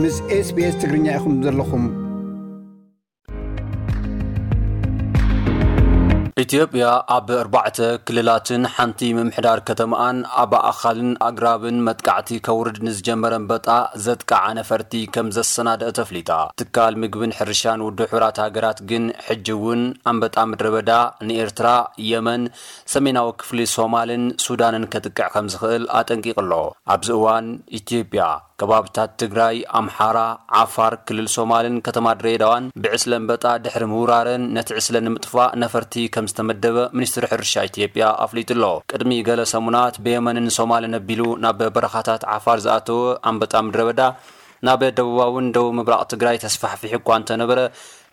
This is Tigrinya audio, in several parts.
ምስ SBS ትግርኛ ኢኹም ዘለኹም። ኢትዮጵያ ኣብ ኣርባዕተ ክልላትን ሓንቲ ምምሕዳር ከተማኣን ኣብ ኣኻልን ኣግራብን መጥቃዕቲ ከውርድ ንዝጀመረ ኣንበጣ ዘጥቃዓ ነፈርቲ ከም ዘሰናደአት ኣፍሊጣ። ትካል ምግብን ሕርሻን ውድብ ሕቡራት ሃገራት ግን ሕጂ እውን ኣንበጣ ምድረ በዳ ንኤርትራ፣ የመን፣ ሰሜናዊ ክፍሊ ሶማልን ሱዳንን ከጥቅዕ ከም ዝኽእል ኣጠንቂቑ ኣሎ። ኣብዚ እዋን ኢትዮጵያ ከባብታት ትግራይ፣ ኣምሓራ፣ ዓፋር፣ ክልል ሶማልን ከተማ ድሬዳዋን ብዕስለ ኣንበጣ ድሕሪ ምውራረን ነቲ ዕስለ ንምጥፋእ ነፈርቲ ከም ዝተመደበ ሚኒስትሪ ሕርሻ ኢትዮጵያ ኣፍሊጡ ኣሎ። ቅድሚ ገለ ሰሙናት ብየመንን ሶማልን ኣቢሉ ናብ በረኻታት ዓፋር ዝኣተወ ኣንበጣ ምድረ በዳ ናብ ደቡባውን ደቡብ ምብራቕ ትግራይ ተስፋሕፊሑ እኳ እንተነበረ፣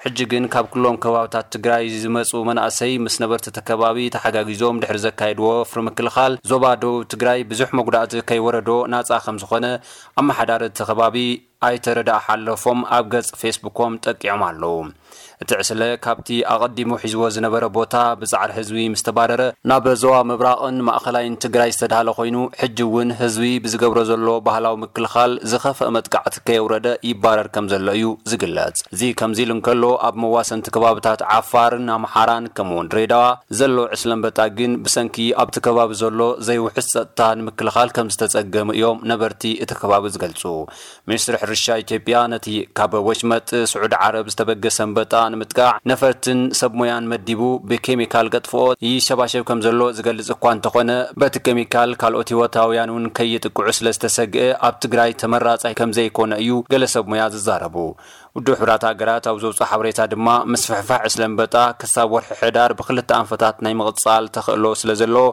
ሕጂ ግን ካብ ኩሎም ከባብታት ትግራይ ዝመፁ መናእሰይ ምስ ነበርቲ እቲ ከባቢ ተሓጋጊዞም ድሕሪ ዘካየድዎ ወፍሪ ምክልኻል፣ ዞባ ደቡብ ትግራይ ብዙሕ መጉዳእቲ ከይወረዶ ናፃ ከም ዝኾነ ኣመሓዳሪ እቲ ከባቢ ኣይተ ረዳእ ሓለፎም ኣብ ገጽ ፌስቡኮም ጠቂዖም ኣለዉ። እቲ ዕስለ ካብቲ ኣቐዲሙ ሒዝዎ ዝነበረ ቦታ ብጻዕሪ ህዝቢ ምስ ተባረረ፣ ናብ ዞባ ምብራቕን ማእኸላይን ትግራይ ዝተዳህለ ኮይኑ፣ ሕጂ እውን ህዝቢ ብዝገብሮ ዘሎ ባህላዊ ምክልኻል ዝኸፍአ መጥቃዕቲ ከየውረደ ይባረር ከም ዘሎ እዩ ዝግለጽ። እዚ ከምዚ ኢሉ እንከሎ፣ ኣብ መዋሰንቲ ከባብታት ዓፋርን ኣምሓራን ከምኡውን ድሬዳዋ ዘሎ ዕስለ ኣንበጣ ግን ብሰንኪ ኣብቲ ከባቢ ዘሎ ዘይውሑስ ጸጥታ ንምክልኻል ከም ዝተጸገሙ እዮም ነበርቲ እቲ ከባቢ ዝገልጹ። ሚኒስትሪ ሕርሻ ኢትዮጵያ ነቲ ካብ ወሽመጥ ስዑዲ ዓረብ ዝተበገሰ ኣንበጣ ንምጥቃዕ ነፈርትን ሰብ ሞያን መዲቡ ብኬሚካል ገጥፍኦ ይሸባሸብ ከም ዘሎ ዝገልጽ እኳ እንተኾነ፣ በቲ ኬሚካል ካልኦት ህይወታውያን እውን ከይጥቅዑ ስለ ዝተሰግአ ኣብ ትግራይ ተመራጻይ ከም ዘይኮነ እዩ ገለ ሰብ ሞያ ዝዛረቡ። ውድብ ሕቡራት ሃገራት ኣብ ዘውፅኦ ሓበሬታ ድማ ምስፍሕፋሕ ዕስለ ኣንበጣ ክሳብ ወርሒ ሕዳር ብክልተ ኣንፈታት ናይ ምቕፃል ተኽእሎ ስለ ዘለዎ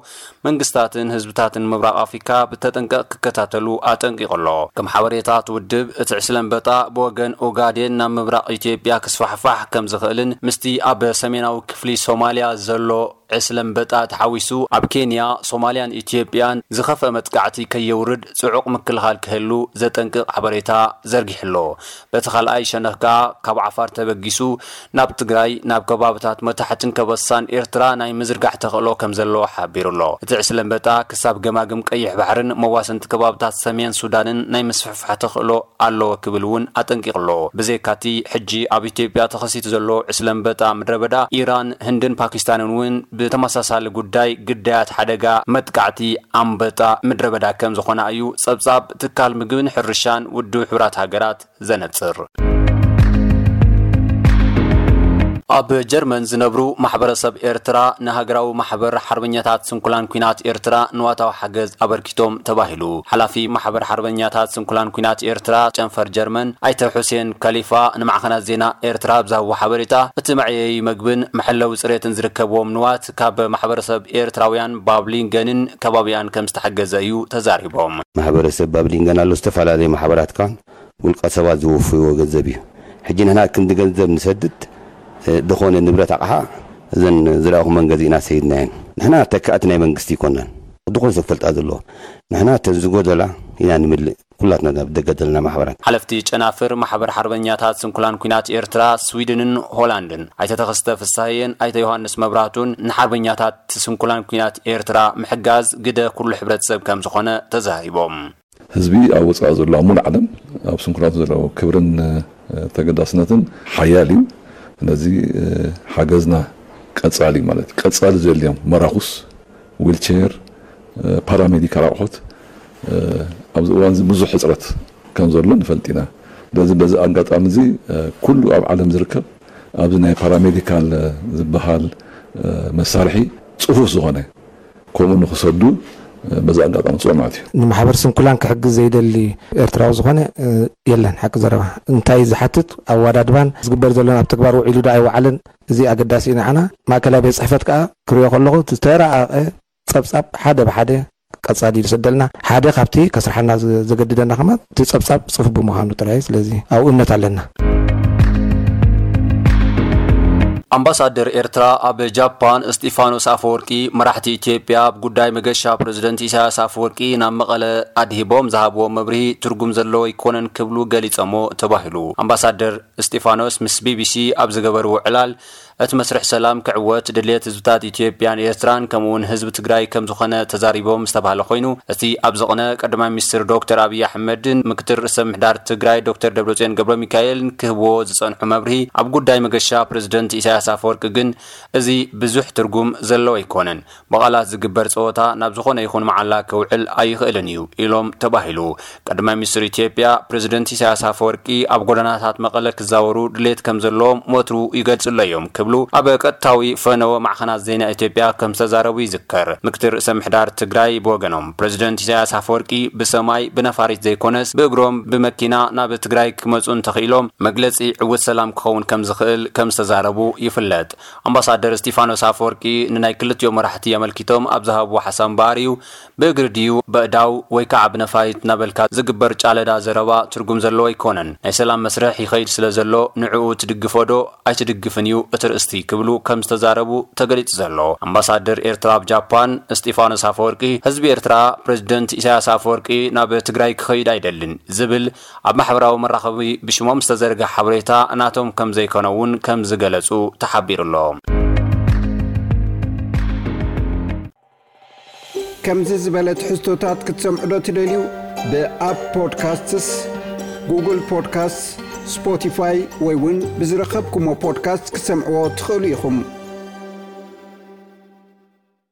መንግስታትን ህዝብታትን ምብራቕ ኣፍሪካ ብተጠንቀቕ ክከታተሉ ኣጠንቂቑ ኣሎ። ከም ሓበሬታ እቲ ውድብ፣ እቲ ዕስለ ኣንበጣ ብወገን ኦጋዴን ናብ ምብራቕ ኢትዮጵያ ክስፋሕፋሕ ከም ዝኽእልን ምስቲ ኣብ ሰሜናዊ ክፍሊ ሶማልያ ዘሎ ዕስለ ኣንበጣ ተሓዊሱ ኣብ ኬንያ፣ ሶማልያን ኢትዮጵያን ዝኸፍአ መጥቃዕቲ ከየውርድ ጽዑቕ ምክልኻል ክህሉ ዘጠንቅቕ ሓበሬታ ዘርጊሑ ኣሎ። በቲ ካልኣይ ሸነኽ ከኣ ካብ ዓፋር ተበጊሱ ናብ ትግራይ፣ ናብ ከባብታት መታሕትን ከበሳን ኤርትራ ናይ ምዝርጋሕ ተኽእሎ ከም ዘለዎ ሓቢሩ ኣሎ። እቲ ዕስለ ኣንበጣ ክሳብ ገማግም ቀይሕ ባሕርን መዋሰንቲ ከባብታት ሰሜን ሱዳንን ናይ ምስፍሕፋሕ ተኽእሎ ኣለዎ ክብል እውን ኣጠንቂቑ ኣሎ። ብዘይካቲ ሕጂ ኣብ ኢትዮጵያ ተኸሲቱ ዘሎ ዕስለ ኣንበጣ ምድረ በዳ፣ ኢራን፣ ህንድን ፓኪስታንን እውን ብተመሳሳሊ ጉዳይ ግዳያት ሓደጋ መጥቃዕቲ ኣንበጣ ምድረ በዳ ከም ዝኾና እዩ ጸብጻብ ትካል ምግብን ሕርሻን ውድብ ሕቡራት ሃገራት ዘነጽር። ኣብ ጀርመን ዝነብሩ ማሕበረሰብ ኤርትራ ንሃገራዊ ማሕበር ሓርበኛታት ስንኩላን ኲናት ኤርትራ ንዋታዊ ሓገዝ ኣበርኪቶም ተባሂሉ። ሓላፊ ማሕበር ሓርበኛታት ስንኩላን ኲናት ኤርትራ ጨንፈር ጀርመን ኣይተ ሑሴን ከሊፋ ንማዕኸናት ዜና ኤርትራ ኣብ ዝሃብዎ ሓበሬታ፣ እቲ መዕየዪ መግብን መሐለዊ ጽሬትን ዝርከብዎም ንዋት ካብ ማሕበረሰብ ኤርትራውያን ባብሊንገንን ከባቢኣን ከም ዝተሓገዘ እዩ ተዛሪቦም። ማሕበረሰብ ባብሊንገን ኣሎ፣ ዝተፈላለዩ ማሕበራት ከኣ ውልቀ ሰባት ዝወፍይዎ ገንዘብ እዩ። ሕጂ ንሕና ክንዲ ገንዘብ ንሰድድ፣ እ፣ ዝኾነ ንብረት ኣቕሓ እዘን ዝለኣኹመን ገዚእና ሰይድናየን። ንሕና ተካእቲ ናይ መንግስቲ ኣይኮናን። ዝኾነ ሰብ ክፈልጣ ዘለዎ። ንሕና እተን ዝጎደላ ኢና ንምልእ። ኩላትና ኣብ ደገ ዘለና ማሕበራት። ሓለፍቲ ጨናፍር ማሕበር ሓርበኛታት ስንኩላን ኲናት ኤርትራ ስዊድንን ሆላንድን ኣይተ ተኸስተ ፍሳህየን ኣይተ ዮሃንስ መብራቱን ንሓርበኛታት ስንኩላን ኲናት ኤርትራ ምሕጋዝ ግደ ኩሉ ሕብረተሰብ ከም ዝኾነ ተዛሪቦም። ህዝቢ ኣብ ወጻኢ ዘሎ ኣብ ሙሉእ ዓለም ኣብ ስንኩላን ዘለዎ ክብርን፣ እ፣ ተገዳስነትን ሓያል እዩ። ስለዚ፣ እ፣ ሓገዝና ቀጻሊ ማለት እዩ። ቀጻሊ ዘድልዮም መራኹስ፣ ዊልቸር፣ እ፣ ፓራሜዲካል ኣቑሑት፣ እ፣ ኣብዚ እዋን እዚ ብዙሕ ሕጽረት ከም ዘሎ ንፈልጥ ኢና። ስለዚ በዚ ኣጋጣሚ እዚ፣ እ፣ ኩሉ ኣብ ዓለም ዝርከብ ኣብዚ ናይ ፓራሜዲካል፣ እ፣ ዝበሃል፣ እ፣ መሳርሒ ጽፉፍ ዝኾነ ከምኡ ንኽሰዱ፣ እ፣ በዚ ኣጋጣሚ ጽውዕ ማለት እዩ። ንማሕበር ስንኩላን ክሕግዝ ዘይደሊ ኤርትራዊ ዝኾነ፣ እ፣ የለን። ሓቂ ዘረባ እንታይ ዝሓትት ኣወዳድባን ዝግበር ዘሎን ኣብ ተግባር ውዒሉ ዶ ኣይወዓለን፣ እዚ ኣገዳሲ እዩ ንዓና። ማእከላይ ቤት ጽሕፈት ከኣ ክሪኦ ከለኹ እቲ ዝተራቐቐ ጸብጻብ ሓደ ብሓደ ቀጻሊ ይሰደልና። ሓደ ካብቲ ከስርሓና ዘ-፣ ዘገድደና ከማን እቲ ጸብጻብ ጽፉፍ ብምዃኑ ጥራይ። ስለዚ ኣብኡ እምነት ኣለና። ኣምባሳደር ኤርትራ ኣብ ጃፓን እስጢፋኖስ ኣፈወርቂ፣ መራሕቲ ኢትዮጵያ ኣብ ጉዳይ መገሻ ፕረዚደንት ኢሳያስ ኣፈወርቂ ናብ መቐለ ኣድሂቦም ዝሃብዎ መብርሂ ትርጉም ዘለዎ ኣይኮነን ክብሉ ገሊጸሞ ተባሂሉ። ኣምባሳደር እስጢፋኖስ ምስ ቢቢሲ ኣብ ዝገበርዎ ዕላል፣ እቲ መስርሕ ሰላም ክዕወት ድልየት ህዝብታት ኢትዮጵያን ኤርትራን ከምኡውን ህዝቢ ትግራይ ከም ዝኾነ ተዛሪቦም ዝተባህለ ኮይኑ፣ እቲ ኣብዚ ቅነ ቀዳማይ ሚኒስትር ዶክተር ኣብይ ኣሕመድን ምክትል ርእሰ ምሕዳር ትግራይ ዶክተር ደብረጽዮን ገብረ ሚካኤልን ክህብዎ ዝጸንሑ መብርሂ ኣብ ጉዳይ መገሻ ፕሬዝደንት ኢሳያስ ኣፈወርቂ ግን እዚ ብዙሕ ትርጉም ዘለዎ ኣይኮነን። ብቓላት ዝግበር ጸወታ ናብ ዝኾነ ይኹን መዓላ ክውዕል ኣይኽእልን እዩ ኢሎም ተባሂሉ። ቀዳማይ ሚኒስትር ኢትዮጵያ ፕሬዝደንት ኢሳያስ ኣፈወርቂ ኣብ ጎደናታት መቐለ ክዛወሩ ድሌት ከም ዘለዎም ወትሩ ይገልጹ ኣለዮም ክብሉ ኣብ ቀጥታዊ ፈነወ ማዕኸናት ዜና ኢትዮጵያ ከም ዝተዛረቡ ይዝከር። ምክትል ርእሰ ምሕዳር ትግራይ ብወገኖም ፕሬዝደንት ኢሳያስ ኣፈወርቂ ብሰማይ ብነፋሪት ዘይኮነስ ብእግሮም ብመኪና ናብ ትግራይ ክመጹ እንተኽኢሎም መግለጺ ዕውት ሰላም ክኸውን ከም ዝኽእል ከም ዝተዛረቡ ይፍለጥ። ኣምባሳደር እስጢፋኖስ ኣፈወርቂ ንናይ ክልቲኦም መራሕቲ ኣመልኪቶም ኣብ ዝሃብዎ ሓሳብ እምበኣር እዩ፣ ብእግሪ ድዩ በእዳው ወይ ከዓ ብነፋሪት እናበልካ ዝግበር ጫለዳ ዘረባ ትርጉም ዘለዎ ኣይኮነን። ናይ ሰላም መስርሕ ይኸይድ ስለ ዘሎ ንዕኡ ትድግፎ ዶ ኣይትድግፍን እዩ እቲ ርእስቲ ክብሉ ከም ዝተዛረቡ ተገሊጹ ዘሎ። ኣምባሳደር ኤርትራ ኣብ ጃፓን እስጢፋኖስ ኣፈወርቂ ህዝቢ ኤርትራ ፕሬዝደንት ኢሳያስ ኣፈወርቂ ናብ ትግራይ ክኸይድ ኣይደልን ዝብል ኣብ ማሕበራዊ መራኸቢ ብሽሞም ዝተዘርግሐ ሓበሬታ ናቶም ከም ዘይኮነ እውን ከም ዝገለጹ ተሓቢሩ ኣሎ። ከምዚ ዝበለ ትሕዝቶታት ክትሰምዑ ዶ ትደልዩ? ብኣፕ ፖድካስትስ፣ ጉግል ፖድካስት፣ ስፖቲፋይ ወይ እውን ብዝረኸብኩሞ ፖድካስት ክትሰምዕዎ ትኽእሉ ኢኹም።